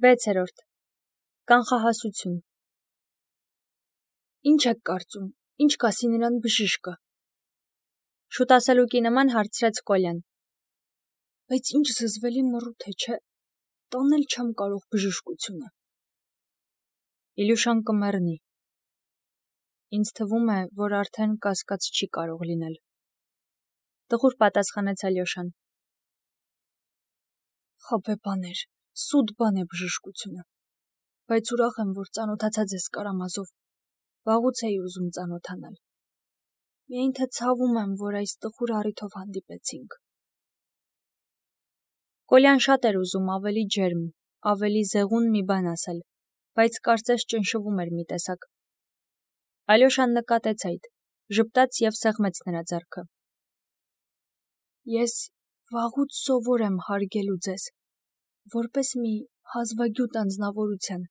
6. Կանխահասություն։ Ինչ եք կարծում, ինչ կասի նրան բժիշկը։ Շուտ ասելուկի նման հարցրեց Կոլյան։ Բայց ինչ զզվելի մռութ է, չէ՞, տանել չեմ կարող բժշկությունը։ Իլյուշան կմեռնի։ Ինձ թվում է, որ արդեն կասկած չի կարող լինել։ Տխուր պատասխանեց Ալյոշան։ Խաբե բաներ, սուտ բան է բժշկությունը, բայց ուրախ եմ, որ ծանոթացած ես Կարամազով, վաղուց էի ուզում ծանոթանալ։ Միայն թե ցավում եմ, որ այս տխուր առիթով հանդիպեցինք։ Կոլյան շատ էր ուզում ավելի ջերմ, ավելի զեղուն մի բան ասել, բայց կարծես ճնշվում էր մի տեսակ։ Ալյոշան նկատեց այդ, ժպտաց և սեղմեց նրա ձեռքը։ Ես վաղուց սովոր եմ հարգելու ձեզ, որպես մի հազվագյուտ անձնավորության։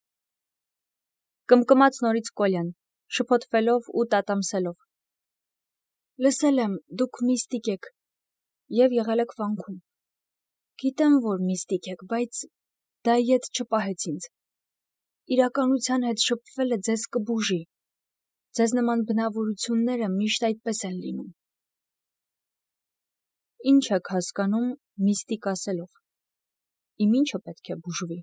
Կմկմաց նորից Կոլյան, շփոթվելով ու տատամսելով։ Լսել եմ, դուք միստիկ եք և եղել եք վանքում։ Գիտեմ, որ միստիկ եք, բայց դա ետ չպահեց ինձ։ Իրականության հետ շփվելը ձեզ կբուժի։ Ձեզ նման բնավորությունները միշտ այդպես են լինում։ Ինչ եք հասկանում միստիկ ասելով։ Իմ ինչը պետք է բուժվի։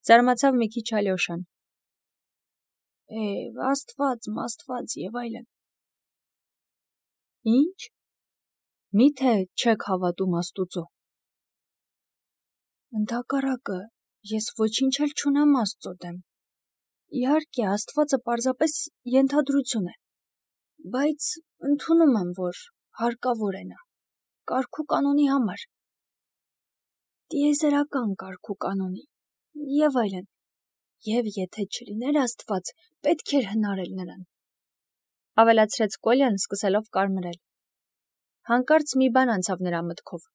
Զարմացավ մի քիչ Ալյոշան։ Աստված և այլն։ Ինչ։ Միթե չեք հավատում Աստուծո։ Ընդհակառակը, ես ոչինչ էլ չունեմ Աստծո դեմ։ Իհարկե, Աստվածը պարզապես ենթադրություն է, բայց ընդունում եմ, որ հարկավոր է նա, կարգ ու կանոնի համար, տիեզերական կարգ ու կանոնի, և այլն, և եթե չլիներ Աստված, պետք էր հնարել նրան, ավելացրեց Կոլյան, սկսելով կարմրել։ Հանկարծ մի բան անցավ նրա մտքով։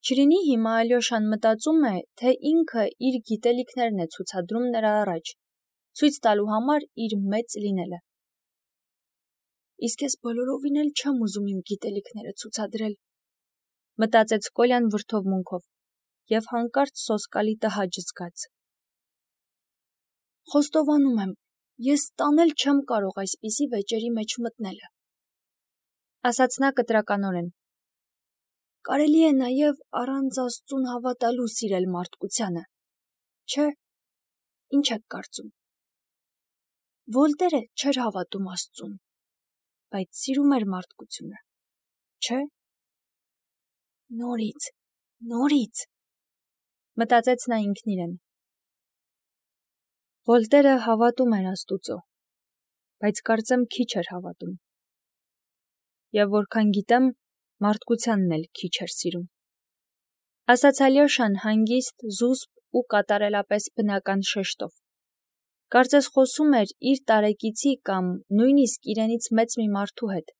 Չլինի հիմա Ալյոշան մտածում է, թե ինքը իր գիտելիքներն է ցուցադրում նրա առաջ, ցույց տալու համար իր մեծ լինելը։ Իսկ ես բոլորովին էլ չեմ ուզում իմ գիտելիքները ցուցադրել, մտածեց Կոլյան վրդովմունքով և հանկարծ սոսկալի տհաճ զգաց։ Խոստովանում եմ, ես տանել չեմ կարող այսպիսի վեճերի մեջ մտնելը, ասաց նա կտրականորեն։ Կարելի է նաև առանց Աստծուն հավատալու սիրել մարդկությանը, չէ՞, ինչ եք կարծում։ Վոլտերը չէր հավատում Աստծուն, բայց սիրում էր մարդկությունը, չէ՞։ Նորից, մտածեց նա ինքն իրեն։ Վոլտերը հավատում էր Աստուծո, բայց կարծեմ քիչ էր հավատում։ Եվ որքան գիտեմ, մարդկությանն էլ քիչ էր սիրում։ Ասաց Ալյոշան հանգիստ, զուսպ ու կատարելապես բնական շեշտով։ Կարծես խոսում էր իր տարեկիցի կամ նույնիսկ իրենից մեծ մի մարդու հետ։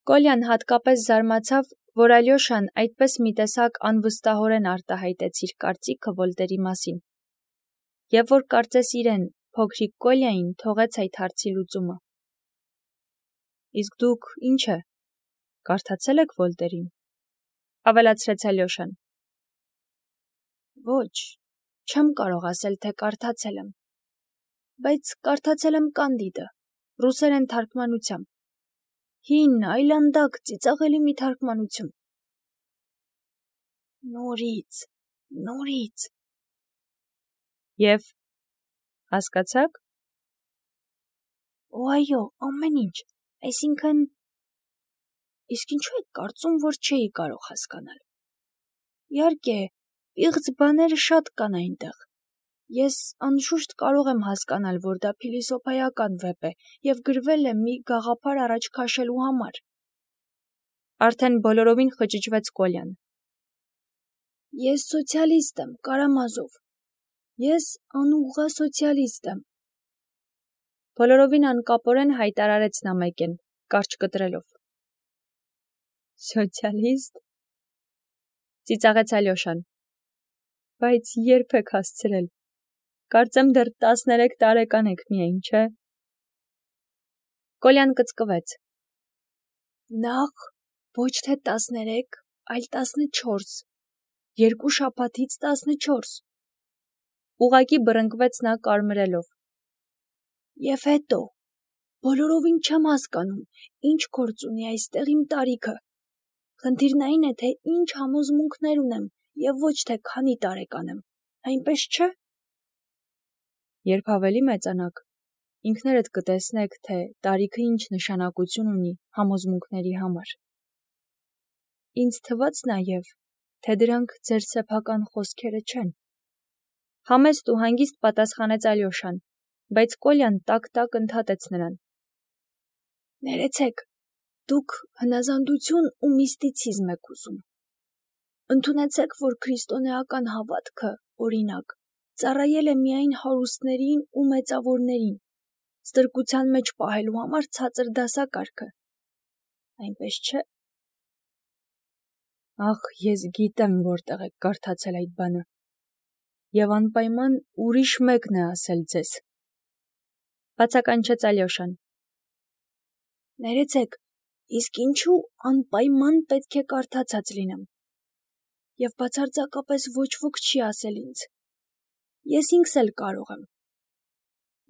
Կոլյան հատկապես զարմացավ, որ Ալյոշան այդպես մի տեսակ անվստահորեն արտահայտեց իր կարծիքը Վոլտերի մասին, և որ կարծես իրեն, փոքրիկ Կոլյային, թողեց այդ հարցի լուծումը։ Իսկ դուք ինչ է, կարդացել եք Վոլտերին, ավելացրեց Ալյոշան։ Ոչ, չեմ կարող ասել, թե կարդացել եմ, բայց կարդացել եմ Կանդիդը, ռուսերեն թարգմանությամբ, հին, այլանդակ, ծիծաղելի մի թարգմանություն։ Նորից։ Եվ հասկացա՞ք։ Այո, ամեն ինչ, այսինքն… Իսկ ինչու եք կարծում, որ չէի կարող հասկանալ։ Իհարկե, պիղծ բաները շատ կան այնտեղ։ Ես անշուշտ կարող եմ հասկանալ, որ դա փիլիսոփայական վեպ է և գրվել է մի գաղափար առաջ քաշելու համար։ Արդեն բոլորովին խճճվեց Կոլյան։ Ես սոցիալիստ եմ, Կարամազով։ Ես անուղղա սոցիալիստ եմ։ Բոլորովին անկապորեն հայտարարեց նա մեկեն, կարճ կտրելով։ Սոցիալիստ, ծիծաղեց Ալյոշան, բայց երբ եք հասցրել, կարծեմ դեռ 13 տարեկան եք միայն, չէ՞։ Կոլյան կծկվեց։ Նախ ոչ թե 13, այլ 14, 2 շաբաթից 14։ Ուղղակի բռնկվեց նա կարմրելով։ Եվ հետո, բոլորովին չեմ հասկանում, ինչ գործ ունի այստեղ իմ տարիքը։ Խնդիրն այն է, թե ինչ համոզմունքներ ունեմ և ոչ թե քանի տարեկան եմ, այնպես չէ՞։ Երբ ավելի մեծանաք, ինքներդ կտեսնեք, թե տարիքը ինչ նշանակություն ունի համոզմունքների համար։ Ինձ թվաց նաև, թե դրանք ձեր սեփական խոսքերը չեն։ Համեստ ու հանգիստ պատասխանեց Ալյոշան, բայց Կոլյան տակ-տակ ընդհատեց նրան. Ներեցեք, դուք հնազանդություն ու միստիցիզմ եք ուզում։ Ընդունեցեք, որ քրիստոնեական հավատքը, օրինակ, ծառայել է միայն հարուստներին ու մեծավորներին, ստրկության մեջ պահելու համար ցածր դասակարգը։ Այնպես չէ։ Ախ, ես գիտեմ, որտեղ եք կարդացել այդ բանը։ Եվ անպայման ուրիշ մեկն է ասել ձեզ։ Բացականչեց Ալյոշան։ Ներեցեք, իսկ ինչու անպայման պետք է կարդացած լինեմ։ Եվ բացարձակապես ոչ ոք չի ասել ինձ։ Ես ինքս էլ կարող եմ։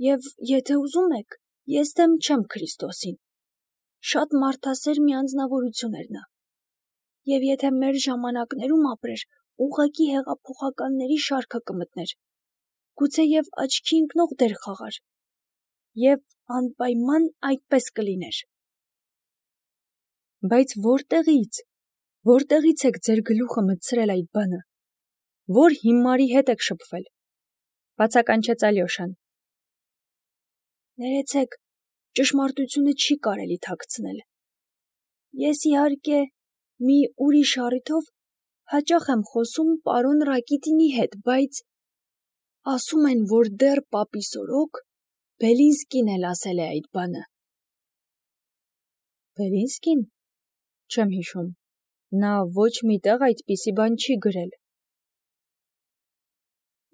Եվ եթե ուզում եք, ես դեմ չեմ Քրիստոսին։ Շատ մարդասեր մի անձնավորություն էր նա։ Եվ եթե մեր ժամանակներում ապրեր, ուղղակի հեղափոխականների շարքը կմտներ, գուցեև աչքի ընկնող դեր խաղար, և անպայման այդպես կլիներ։ Բայց որտեղից եք ձեր գլուխը մտցրել այդ բանը, որ հիմարի հետ եք շփվել, բացականչեց Ալյոշան։ Ներեցեք, ճշմարտությունը չի կարելի թաքցնել։ Ես իհարկե մի ուրիշ առիթով հաճախ եմ խոսում պարոն Ռակիտինի հետ, բայց ասում են, որ դեռ պապի սորոք Բելինսկին էլ ասել է այդ բանը։ Բելինսկին։ Չեմ հիշում, նա ոչ մի տեղ այդպիսի բան չի գրել։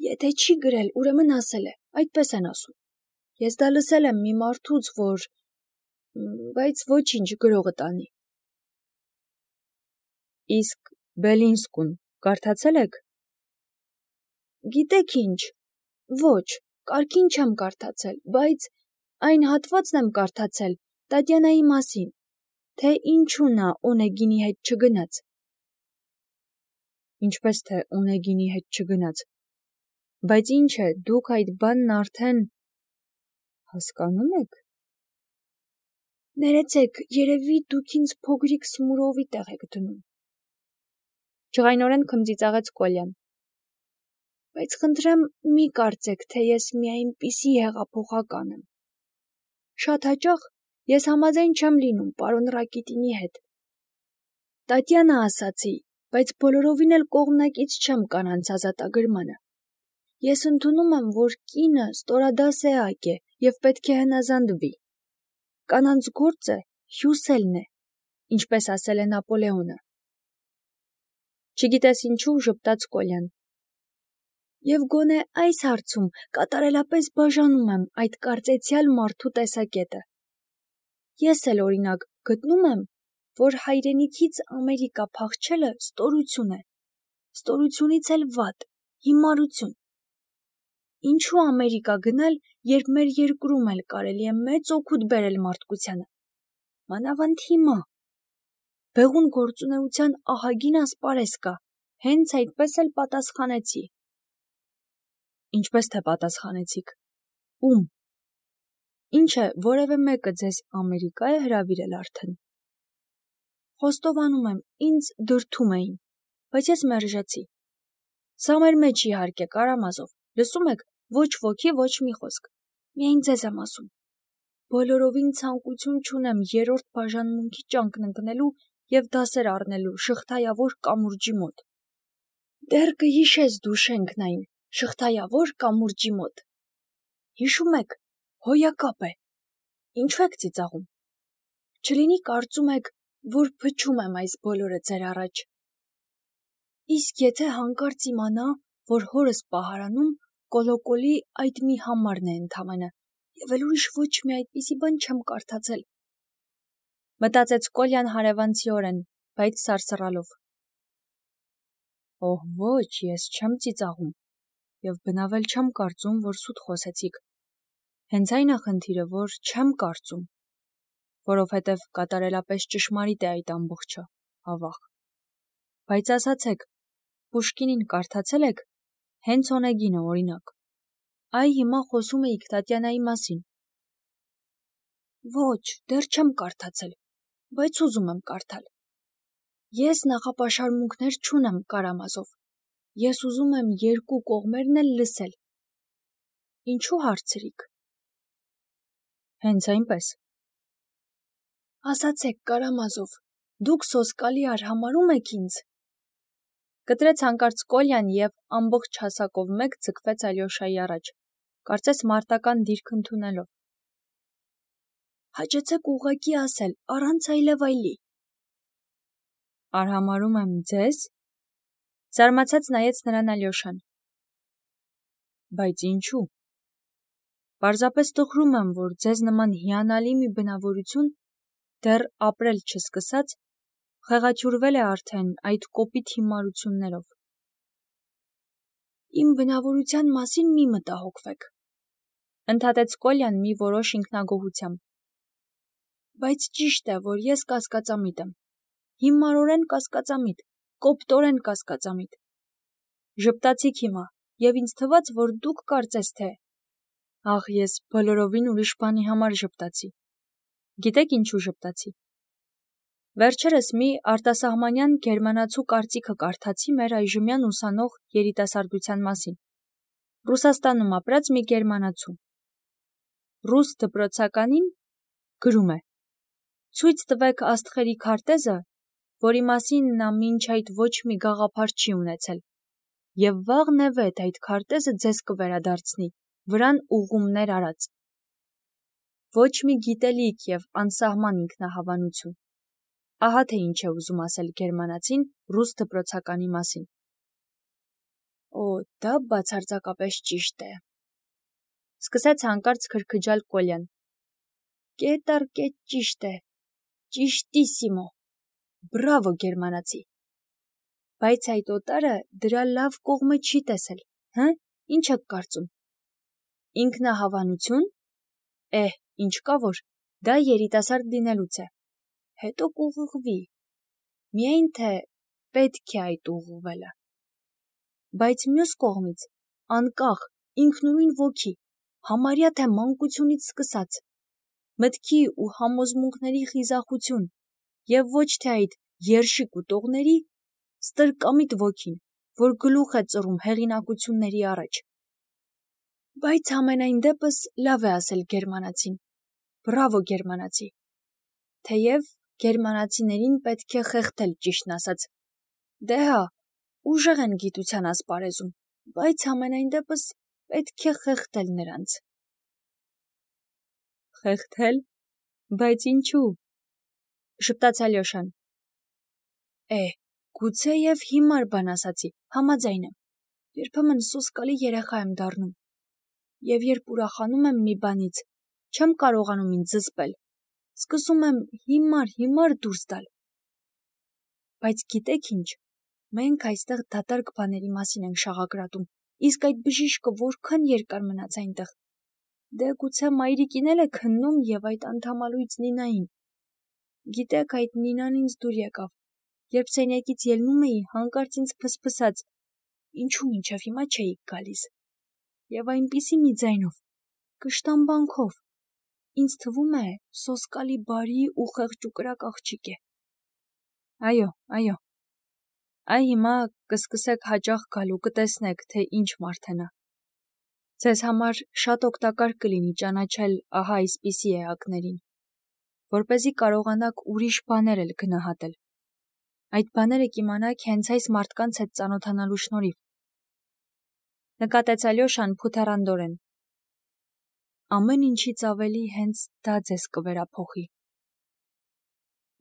Եթե չի գրել, ուրեմն ասել է, այդպես են ասում։ Ես դա լսել եմ մի մարդուց, որ… բայց ոչինչ, գրողը տանի։ Իսկ Բելինսկուն կարդացել եք։ Գիտեք ինչ, ոչ, կարգին չեմ կարդացել, բայց այն հատվածն եմ կարդացել Տատյանայի մասին, թե ինչու նա Օնեգինի հետ չգնաց։ Ինչպես թե Օնեգինի հետ չգնաց։ Բայց ինչ է, դուք այդ բանն արդեն… հասկանում եք։ Ներեցեք, երևի դուք ինձ փոքրիկ Սմուրովի տեղ եք դնում։ Ջղայնորեն քմծիծաղեց Կոլյան։ Բայց խնդրեմ, մի կարծեք, թե ես մի այնպիսի հեղափոխական եմ։ Շատ հաճախ ես համաձայն չեմ լինում պարոն Ռակիտինի հետ։ Տատյանա ասացի, բայց բոլորովին էլ կողմնակից չեմ կանանց ազատագրմանը։ Ես ընդունում եմ, որ կինը ստորադասեակ է և պետք է հնազանդվի։ Կանանց գործը հյուսելն է, ինչպես ասել է Նապոլեոնը։ Չգիտես ինչու ժպտաց Կոլյան։ Եվ գոնե այս հարցում կատարելապես բաժանում եմ այդ կարծեցյալ մարդու տեսակետը։ Ես էլ օրինակ գտնում եմ, որ հայրենիքից Ամերիկա փախչելը ստորություն է, ստորությունից էլ վատ, հիմարություն։ Ինչու Ամերիկա գնալ, երբ մեր երկրում էլ կարելի է մեծ օգուտ բերել մարդկությանը։ Մանավանդ հիմա։ Բեղուն գործունեության ահագին ասպարեզ կա, հենց այդպես էլ պատասխանեցի։ Ինչպես թե պատասխանեցիք։ Ում։ Ինչ է, որևէ մեկը ձեզ Ամերիկա է հրավիրել արդեն։ Խոստովանում եմ, ինձ դրդում էին, բայց ես մերժեցի։ Սա մեր մեջ իհարկե, Կարամազով, լսում եք, ոչ ոքի, ոչ մի խոսք։ Միայն ձեզ եմ ասում։ Բոլորովին ցանկություն չունեմ երրորդ բաժանմունքի ճանկն ընկնելու և դասեր առնելու շղթայավոր կամուրջի մոտ։ Դեռ կհիշես դու շենքն այն, շղթայավոր կամուրջի մոտ։ Հիշում եք, հոյակապ է։ Ինչու եք ծիծաղում։ Չլինի կարծում եք, որ փչում եմ այս բոլորը ձեր առաջ։ Իսկ եթե հանկարծ իմանա, որ հորս պահարանում կոլոկոլի այդ մի համարն է ընդամենը, և էլ ուրիշ ոչ մի այդպիսի բան չեմ կարդացել։ Մտածեց Կոլյան հարևանցիորեն, բայց սարսռալով։ Օհ, ոչ, ես չեմ ծիծաղում, և բնավել չեմ կարծում, որ սուտ խոսեցիք։ Հենց այն է խնդիրը, որ չեմ կարծում, որովհետև կատարելապես ճշմարիտ է այդ ամբողջը, ավաղ։ Բայց ասացեք, Պուշկինին կարդացել եք, հենց Օնեգինը, օրինակ։ Այ հիմա խոսում էիք Տատյանայի մասին։ Ոչ, դեռ չեմ կարդացել, բայց ուզում եմ կարդալ։ Ես նախապաշարմունքներ չունեմ Կարամազով։ Ես ուզում եմ երկու կողմերն էլ լսել։ Ինչու հարցրիք։ Հենց այնպես։ Ասացեք, Կարամազով, դուք սոսկալի արհամարհում եք ինձ։ Կտրեց հանկարծ Կոլյան և ամբողջ հասակով մեկ ձգվեց Ալյոշայի առաջ, կարծես մարտական դիրք ընդունելով։ Հաճեցեք ուղղակի ասել, առանց այլևայլի։ Արհամարհում եմ ձեզ։ Զարմացած նայեց նրան Ալյոշան։ Բայց ինչու։ Պարզապես տխրում եմ, որ ձեզ նման հիանալի մի բնավորություն, դեռ ապրել չսկսած, խեղաթյուրվել է արդեն այդ կոպիտ հիմարություններով։ Իմ բնավորության մասին մի մտահոգվեք, ընդհատեց Կոլյան մի որոշ ինքնագոհությամբ։ Բայց ճիշտ է, որ ես կասկածամիտ եմ։ Հիմարորեն կասկածամիտ, կոպտորեն կասկածամիտ։ Ժպտացիք հիմա, և ինձ թվաց, որ դուք կարծես թե… Ախ, ես բոլորովին ուրիշ բանի համար ժպտացի։ Գիտեք ինչու ժպտացի։ Վերջերս մի արտասահմանյան գերմանացու կարծիքը կարդացի մեր այժմյան ուսանող երիտասարդության մասին։ Ռուսաստանում ապրած մի գերմանացու։ Ռուս դպրոցականին գրում է. Ցույց տվեք աստղերի քարտեզը, որի մասին նա մինչ այդ ոչ մի գաղափար չի ունեցել, և վաղնևեթ այդ քարտեզը ձեզ կվերադարձնի, վրան ուղղումներ արած։ Ոչ մի գիտելիք և անսահման ինքնահավանություն։ Ահա թե ինչ է ուզում ասել գերմանացին ռուս դպրոցականի մասին։ Օ, դա բացարձակապես ճիշտ է։ Սկսեց հանկարծ քրքջալ Կոլյան։ Կետ առ կետ ճիշտ է։ Ճիշտիսիմո։ Բրավո, գերմանացի։ Բայց այդ օտարը դրա լավ կողմը չի տեսել, հը՞, ինչ եք կարծում։ Ինքնահավանություն։ Ինչ կա որ, դա երիտասարդ լինելուց է։ Հետո կուղղվի։ Միայն թե պետք է այդ ուղղվելը։ Բայց մյուս կողմից, անկախ, ինքնուրույն ոգի, համարյա թե մանկությունից սկսած, մտքի ու համոզմունքների խիզախություն, և ոչ թե այդ երշիկ ուտողների, ստրկամիտ ոգին, որ գլուխ է ծռում հեղինակությունների առաջ։ Բայց համենայն դեպս լավ է ասել գերմանացին։ Բրավո, գերմանացի։ Թեև գերմանացիներին պետք է խեղդել, ճիշտն ասած։ Դե հա, ուժեղ են գիտության ասպարեզում, բայց համենայն դեպս պետք է խեղդել նրանց։ Խեղդել։ Բայց ինչու։ Ժպտաց Ալյոշան։ Գուցեև հիմար բան ասացի, համաձայն եմ։ Երբեմն սոսկալի երեխա եմ դառնում։ Եվ երբ ուրախանում եմ մի բանից, չեմ կարողանում ինձ զսպել։ Սկսում եմ հիմար դուրս տալ։ Բայց գիտեք ինչ, մենք այստեղ դատարկ բաների մասին ենք շաղակրատում, իսկ այդ բժիշկը որքան երկար մնաց այնտեղ։ Դե գուցե մայրիկին էլ է քննում և այդ անդամալույծ Նինային։ Գիտեք, այդ Նինան ինձ դուր եկավ, երբ սենյակից ելնում էի, հանկարծ ինձ փսփսաց, ինչու մինչև հիմա չէիք գալիս։ Եվ այնպիսի մի ձայնով, կշտամբանքով, ինձ թվում է սոսկալի բարի ու խեղճուկրակ աղջիկ է։ Այո։ Այ հիմա կսկսեք հաճախ գալու, կտեսնեք, թե ինչ մարդ է նա։ Ձեզ համար շատ օգտակար կլինի ճանաչել ահա այսպիսի էակներին, որպեսզի կարողանաք ուրիշ բաներ էլ գնահատել։ Այդ բաները կիմանաք հենց այս մարդկանց հետ ծանոթանալու շնորհիվ։ Նկատեց Ալյոշան փութեռանդորեն։ Ամեն ինչից ավելի հենց դա ձեզ կվերափոխի։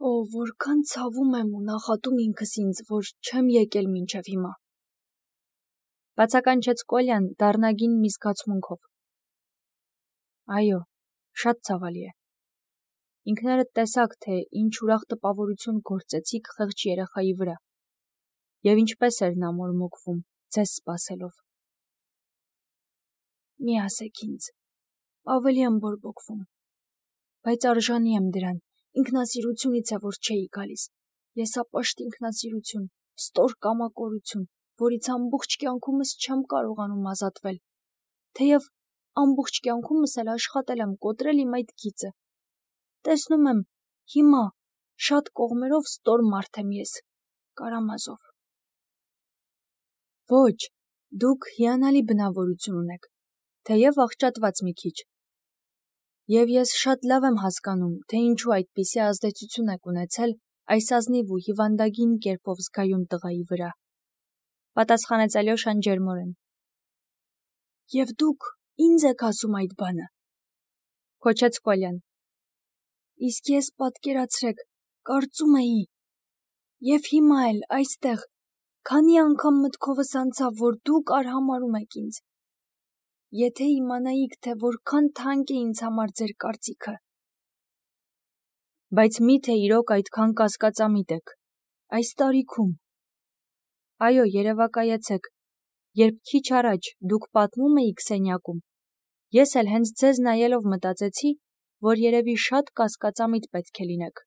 Օ, որքան ցավում եմ ու նախատում ինքս ինձ, որ չեմ եկել մինչև հիմա։ Բացականչեց Կոլյան դառնագին մի զգացմունքով։ Այո, շատ ցավալի է։ Ինքներդ տեսաք, թե ինչ ուրախ տպավորություն գործեցիք խեղճ երեխայի վրա։ Եվ ինչպես էր նա մորմոքվում, ձեզ սպասելով։ Մի ասեք ինձ, ավելի եմ բորբոքվում, բայց արժանի եմ դրան, ինքնասիրությունից է, որ չէի գալիս, եսապաշտ ինքնասիրություն, ստոր կամակորություն, որից ամբողջ կյանքումս չեմ կարողանում ազատվել, թեև ամբողջ կյանքումս էլ աշխատել եմ կոտրել իմ այդ գիծը։ Տեսնում եմ, հիմա շատ կողմերով ստոր մարդ եմ ես, Կարամազով։ Ոչ, դուք հիանալի բնավորություն ունեք, թեև աղճատված մի քիչ։ Եվ ես շատ լավ եմ հասկանում, թե ինչու այդպիսի ազդեցություն եք ունեցել այս ազնիվ ու հիվանդագին կերպով զգայուն տղայի վրա, պատասխանեց Ալյոշան ջերմորեն։ Եվ դուք ինձ եք ասում այդ բանը, քոչեց Կոլյան։ Իսկ ես պատկերացրեք, կարծում էի, եւ հիմա էլ այստեղ, քանի անգամ մտքովս անցավ, որ դուք արհամարհում եք ինձ։ Եթե իմանայիք, թե որքան թանկ է ինձ համար ձեր կարծիքը։ Բայց միթե իրոք այդքան կասկածամիտ եք, այս տարիքում։ Այո, երևակայեցեք, երբ քիչ առաջ դուք պատմում էիք սենյակում, ես էլ հենց ձեզ նայելով մտածեցի, որ երևի շատ կասկածամիտ պետք է լինեք։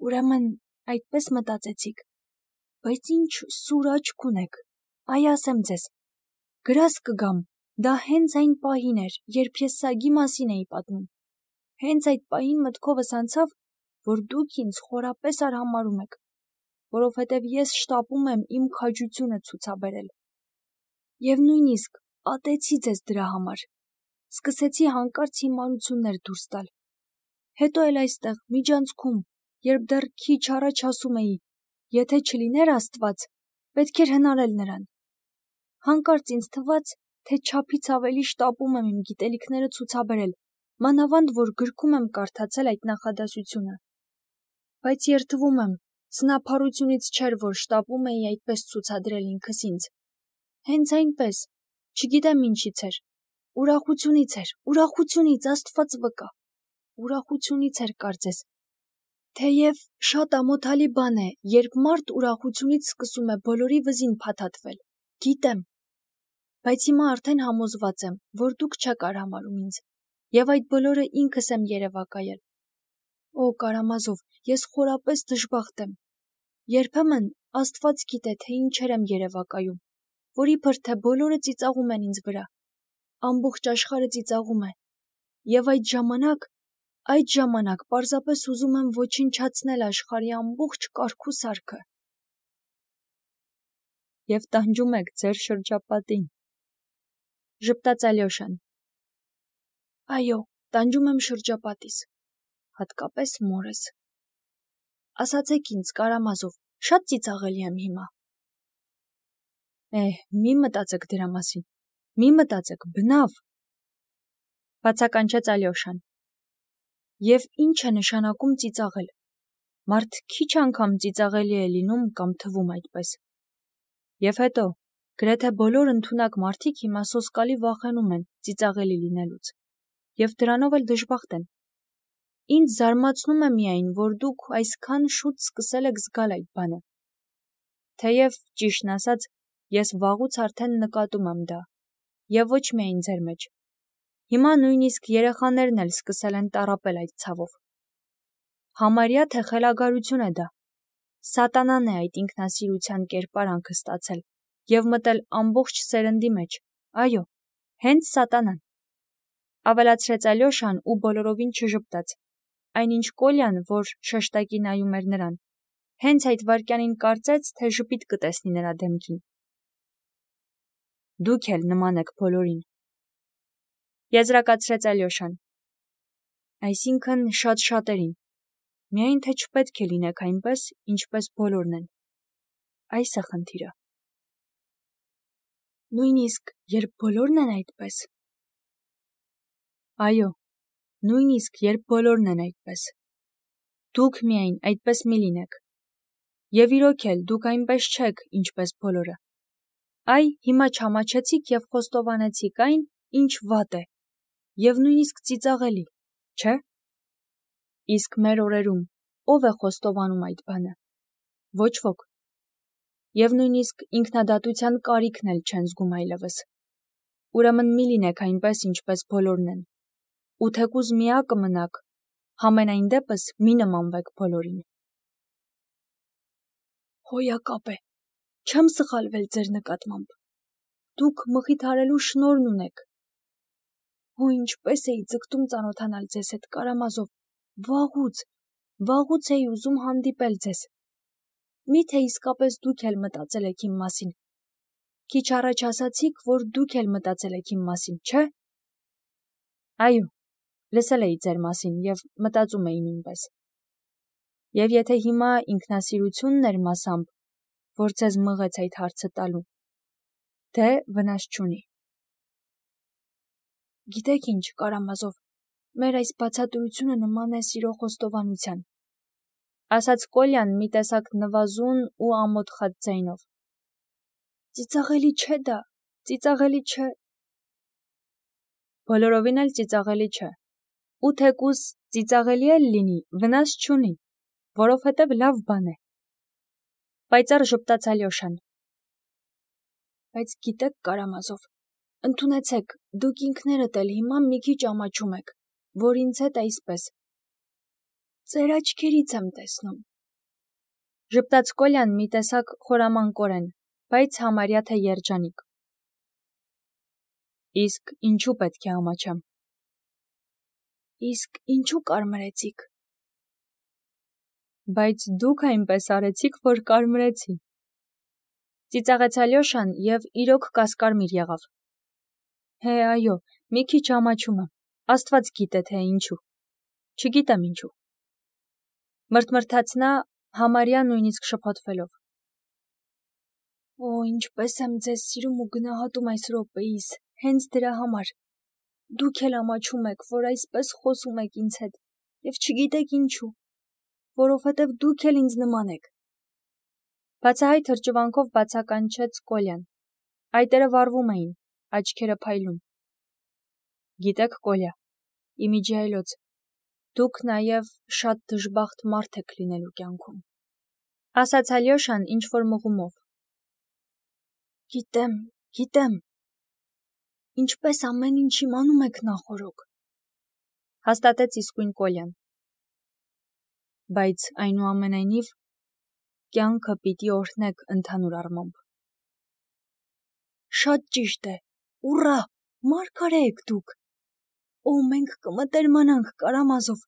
Ուրեմն այդպես մտածեցիք, բայց ինչ սուր աչք ունեք, այ ասեմ ձեզ, գրազ կգամ, դա հենց այն պահին էր, երբ ես սագի մասին էի պատմում, հենց այդ պահին մտքովս անցավ, որ դուք ինձ խորապես արհամարհում եք, որովհետև ես շտապում եմ իմ քաջությունը ցուցաբերել։ Եվ նույնիսկ ատեցի ձեզ դրա համար, սկսեցի հանկարծ հիմարություններ դուրս տալ։ Հետո էլ այստեղ, միջանցքում, երբ դեռ քիչ առաջ ասում էի, եթե չլիներ Աստված, պետք էր հնարել նրան։ Հանկարծ ինձ թվաց, թե չափից ավելի շտապում եմ իմ գիտելիքները ցուցաբերել, մանավանդ որ գրքում եմ կարդացել այդ նախադասությունը։ Բայց երդվում եմ, սնափառությունից չէր, որ շտապում էի այդպես ցուցադրել ինքս ինձ։ Հենց այնպես, չգիտեմ ինչից էր, ուրախությունից, Աստված վկա, ուրախությունից էր կարծես։ Թեև շատ ամոթալի բան է, երբ մարդ ուրախությունից սկսում է բոլորի վզին փաթաթվել, գիտեմ, բայց հիմա արդեն համոզված եմ, որ դուք չեք արհամարհում ինձ, եւ այդ բոլորը ինքս եմ երևակայել։ Օ, Կարամազով, ես խորապես դժբախտ եմ։ Երբեմն Աստված գիտե, թե ինչեր եմ երևակայում, որ իբր թե բոլորը ծիծաղում են ինձ վրա, ամբողջ աշխարհը ծիծաղում է, եւ այդ ժամանակ պարզապես ուզում եմ ոչնչացնել աշխարհի ամբողջ կարգ ու սարքը։ Եվ տանջում եք ձեր շրջապատին, ժպտաց Ալյոշան։ Այո, տանջում եմ շրջապատիս, հատկապես մորս։ Ասացեք ինձ, Կարամազով, շատ ծիծաղելի եմ հիմա։ Մի մտածեք դրա մասին, մի մտածեք, բնավ, բացականչեց Ալյոշան։ Եվ ինչ է նշանակում ծիծաղել։ Մարդ քիչ անգամ ծիծաղելի է լինում կամ թվում այդպես։ Եվ հետո, գրեթե բոլոր ընդունակ մարդիկ հիմա սոսկալի վախենում են ծիծաղելի լինելուց, եւ դրանով էլ դժբախտ են։ Ինձ զարմացնում է միայն, որ դուք այսքան շուտ սկսել եք զգալ այդ բանը։ Թեև, ճիշտն ասած, ես վաղուց արդեն նկատում եմ դա, եւ ոչ միայն ձեր մեջ։ Հիմա նույնիսկ երեխաներն էլ սկսել են տառապել այդ ցավով։ Համարյա թե խելագարություն է դա։ Սատանան է այդ ինքնասիրության կերպարանքը ստացել եւ մտել ամբողջ սերնդի մեջ։ Այո, հենց սատանան։ Ավելացրեց Ալյոշան ու բոլորովին չժպտաց։ Այնինչ Կոլյան, որ շեշտակի նայում էր նրան, հենց այդ վայրկյանին կարծեց, թե ժպիտ կտեսնի նրա դեմքին։ Դուք էլ նման եք բոլորին։ Եզրակացրեց Ալյոշան։ Այսինքն շատ շատերին, միայն թե չպետք է լինեք այնպես, ինչպես բոլորն են։ Այս է խնդիրը։ Նույնիսկ երբ բոլորն են այդպես։ Այո, նույնիսկ երբ բոլորն են այդպես։ Դուք միայն այդպես մի լինեք։ Եվ իրոք էլ դուք այնպես չեք, ինչպես բոլորը։ Այ հիմա չամաչեցիք եւ խոստովանեցիք այն, ինչ վատ է, եւ նույնիսկ ծիծաղելի, չէ՞։ Իսկ մեր օրերում ով է խոստովանում այդ բանը։ Ոչ ոք։ Եվ նույնիսկ ինքնադատության կարիքն էլ չեն զգում այլևս։ Ուրեմն մի լինեք այնպես, ինչպես բոլորն են։ Ու թեկուզ միակը մնաք, համենայն դեպս մի նմանվեք բոլորին։ Հոյակապ է, չեմ սխալվել ձեր նկատմամբ։ Դուք մխիթարելու շնորհն ունեք։ Հո ինչպես էի ձգտում ծանոթանալ ձեզ հետ, Կարամազով, վաղուց էի ուզում հանդիպել ձեզ։ Միթե իսկապես դուք էլ մտածել եք իմ մասին։ Քիչ առաջ ասացիք, որ դուք էլ մտածել եք իմ մասին, չէ՞։ Այո, լսել էի ձեր մասին և մտածում էի նույնպես։ Եվ եթե հիմա ինքնասիրությունն էր մասամբ, որ ձեզ մղեց այդ հարցը տալու, դե վնաս չունի։ Գիտեք ինչ, Կարամազով, մեր այս բացատրությունը նման է սիրո խոստովանության, ասաց Կոլյան մի տեսակ նվազուն ու ամոթխած ձայնով։ Ծիծաղելի չէ դա, ծիծաղելի չէ։ Բոլորովին էլ ծիծաղելի չէ։ Ու թեկուզ ծիծաղելի էլ լինի, վնաս չունի, որովհետև լավ բան է։ Պայծառ ժպտաց Ալյոշան։ Բայց գիտեք, Կարամազով, ընդունեցեք, դուք ինքներդ էլ հիմա մի քիչ ամաչում եք, որ ինձ հետ այսպես։ Ձեր աչքերից եմ տեսնում։ Ժպտաց Կոլյան մի տեսակ խորամանկորեն, բայց համարյա թե երջանիկ։ Իսկ ինչու պետք է ամաչեմ։ Իսկ ինչու կարմրեցիք։ Բայց դուք այնպես արեցիք, որ կարմրեցի։ Ծիծաղեց Ալյոշան և իրոք կասկարմիր եղավ։ Հե, այո, մի քիչ ամաչում եմ, Աստված գիտե թե ինչու։ Չգիտեմ ինչու։ Մրթմրթաց նա, համարյա նույնիսկ շփոթվելով։ Օ, ինչպես եմ ձեզ սիրում ու գնահատում այս րոպեիս, հենց դրա համար։ Դուք էլ ամաչում եք, որ այսպես խոսում եք ինձ հետ, և չգիտեք ինչու, որովհետև դուք էլ ինձ նման եք։ Բացահայտ հրճվանքով բացականչեց Կոլյան։ Այտերը վառվում էին, աչքերը փայլում։ Գիտեք, Կոլյա, իմիջիայլոց, դուք նաև շատ դժբախտ մարդ եք լինելու կյանքում, ասաց Ալյոշան ինչ-որ մղումով։ Գիտեմ, ինչպես ամեն ինչ իմանում եք նախօրոք, հաստատեց իսկույն Կոլյան։ Բայց այնուամենայնիվ կյանքը պիտի օրհնեք ընդհանուր առմամբ։ Շատ ճիշտ է, ուռա, մարգարե եք դուք։ Օ, մենք կմտերմանանք, Կարամազով։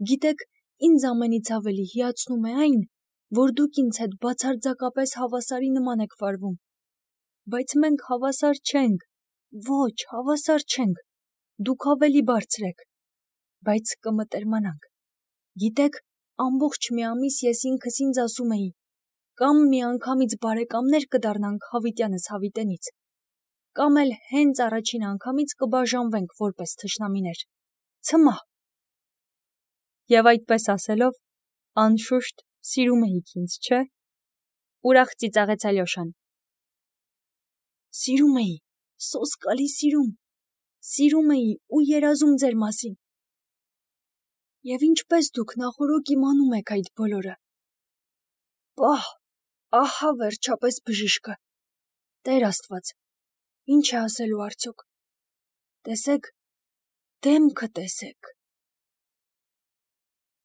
Գիտեք, ինձ ամենից ավելի հիացնում է այն, որ դուք ինձ հետ բացարձակապես հավասարի նման եք վարվում։ Բայց մենք հավասար չենք, ոչ, հավասար չենք, դուք ավելի բարձր եք, բայց կմտերմանանք։ Գիտեք, ամբողջ մի ամիս ես ինքս ինձ ասում էի, կամ միանգամից բարեկամներ կդառնանք հավիտյանս հավիտենից, կամ էլ հենց առաջին անգամից կբաժանվենք որպես թշնամիներ։ Ցմահ։ Եվ այդպես ասելով, անշուշտ սիրում էիք ինձ, չէ՞։ Ուրախ ծիծաղեց Ալյոշան։ Սիրում էի, սոսկալի սիրում էի ու երազում ձեր մասին։ Եվ ինչպես դուք նախօրոք իմանում եք այդ բոլորը։ Պահ, ահա վերջապես բժիշկը։ Տեր Աստված, ինչ է ասելու արդյոք։ Տեսեք, դեմքը տեսեք։